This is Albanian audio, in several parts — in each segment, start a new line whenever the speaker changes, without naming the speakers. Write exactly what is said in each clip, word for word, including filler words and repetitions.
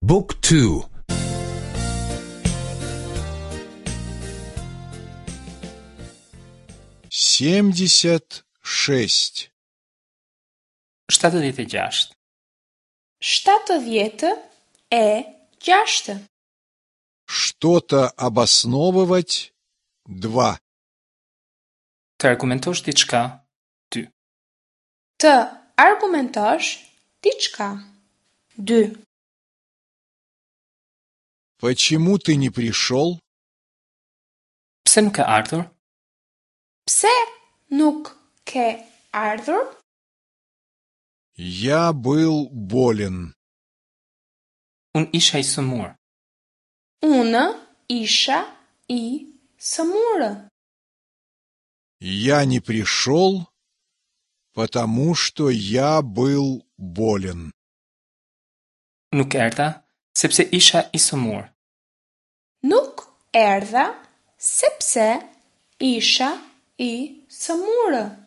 Book two.
Семьдесят шесть.
Shtatëdhjetë e gjashtë.
Shtatëdhjetë e gjashtë.
Что-то обосновывать два.
Të argumentosh diçka, dy.
Të argumentosh diçka. Dy.
Почему ты не пришел?
Pse nuk ke ardhur?
Pse nuk ke ardhur?
Я был болен.
Unë isha i sëmurë.
Unë isha i sëmurë.
Я не пришел, потому что я был болен.
Nuk erdha, sepse isha i sëmurë.
Nuk erdha sepse isha i sëmurë.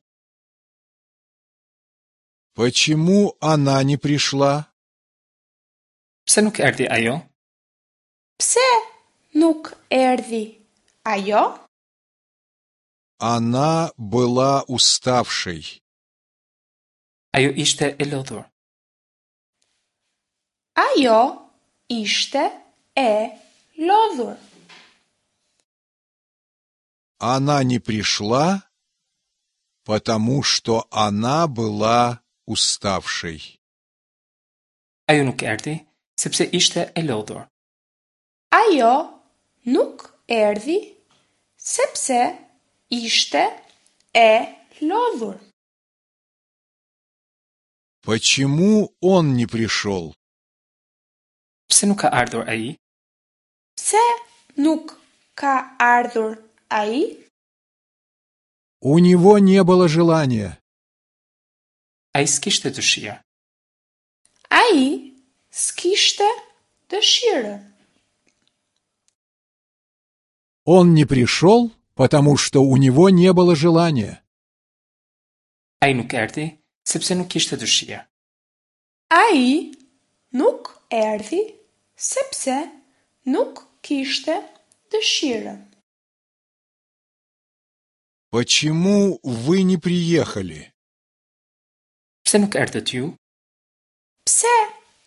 Почему она не пришла?
Pse nuk erdhi ajo?
Pse nuk erdhi ajo?
Она была уставшей.
Ajo ishte e lodhur.
Ajo ishte e lodhur.
Она не пришла, потому что она была уставшей.
Ajo nuk erdhi, sepse ishte e lodhur.
Ajo nuk erdhi sepse ishte e lodhur.
Почему он не пришел?
Pse nuk ka ardhur ai?
Pse nuk ka ardhur ai?
У него не было желания.
Ai s'kishte dëshirë.
Ai s'kishte dëshirë.
Он не пришел, потому что у него не было желания.
Ai nuk erdhi, sepse nuk kishte dëshirë.
Ai nuk erdhi sepse nuk kishte dëshirë.
Почему вы не приехали?
Pse nuk erdhët ju?
Pse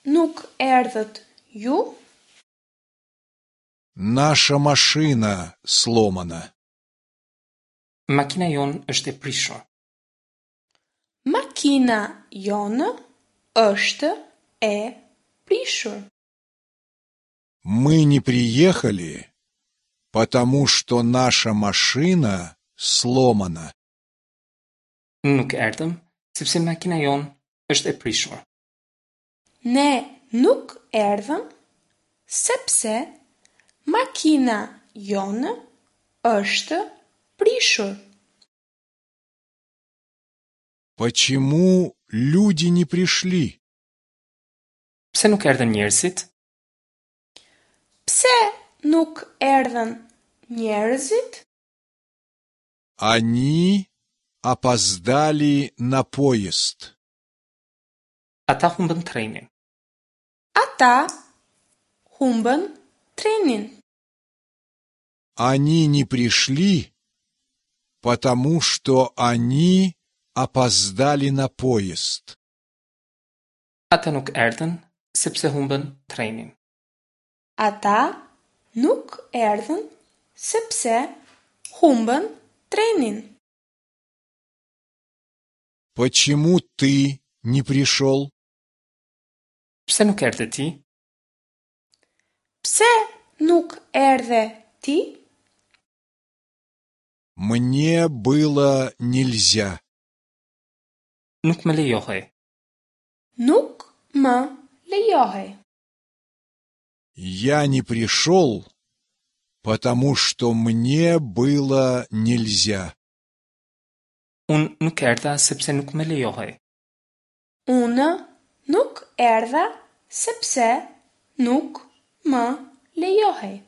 nuk erdhët ju?
Наша машина сломана.
Makina jonë është e prishur.
Makina jonë është e prishur.
Мы не приехали, потому что наша машина сломана.
Nuk erdhëm, sepse makina jonë është e prishur.
Ne nuk erdhëm sepse makina jonë është prishur.
Почему люди не пришли?
Pse nuk erdhën njerëzit?
Pse nuk erdhën njerëzit?
Они опоздали на поезд.
Ata humbën trenin.
Ata humbën trenin.
Они не пришли, потому что они опоздали на поезд.
Ata nuk erdhën, sepse humbën trenin.
Ata nuk erdhën sepse humbën trenin.
Почему ты не пришел?
Pse nuk erdhe ti?
Pse nuk erdhe ti?
Мне было нельзя.
Nuk më lejohej.
Nuk më lejohej.
Я не пришел, потому что мне было нельзя.
Unë nuk erdha sepse nuk më lejohej.
Unë nuk erdha sepse nuk më lejohej.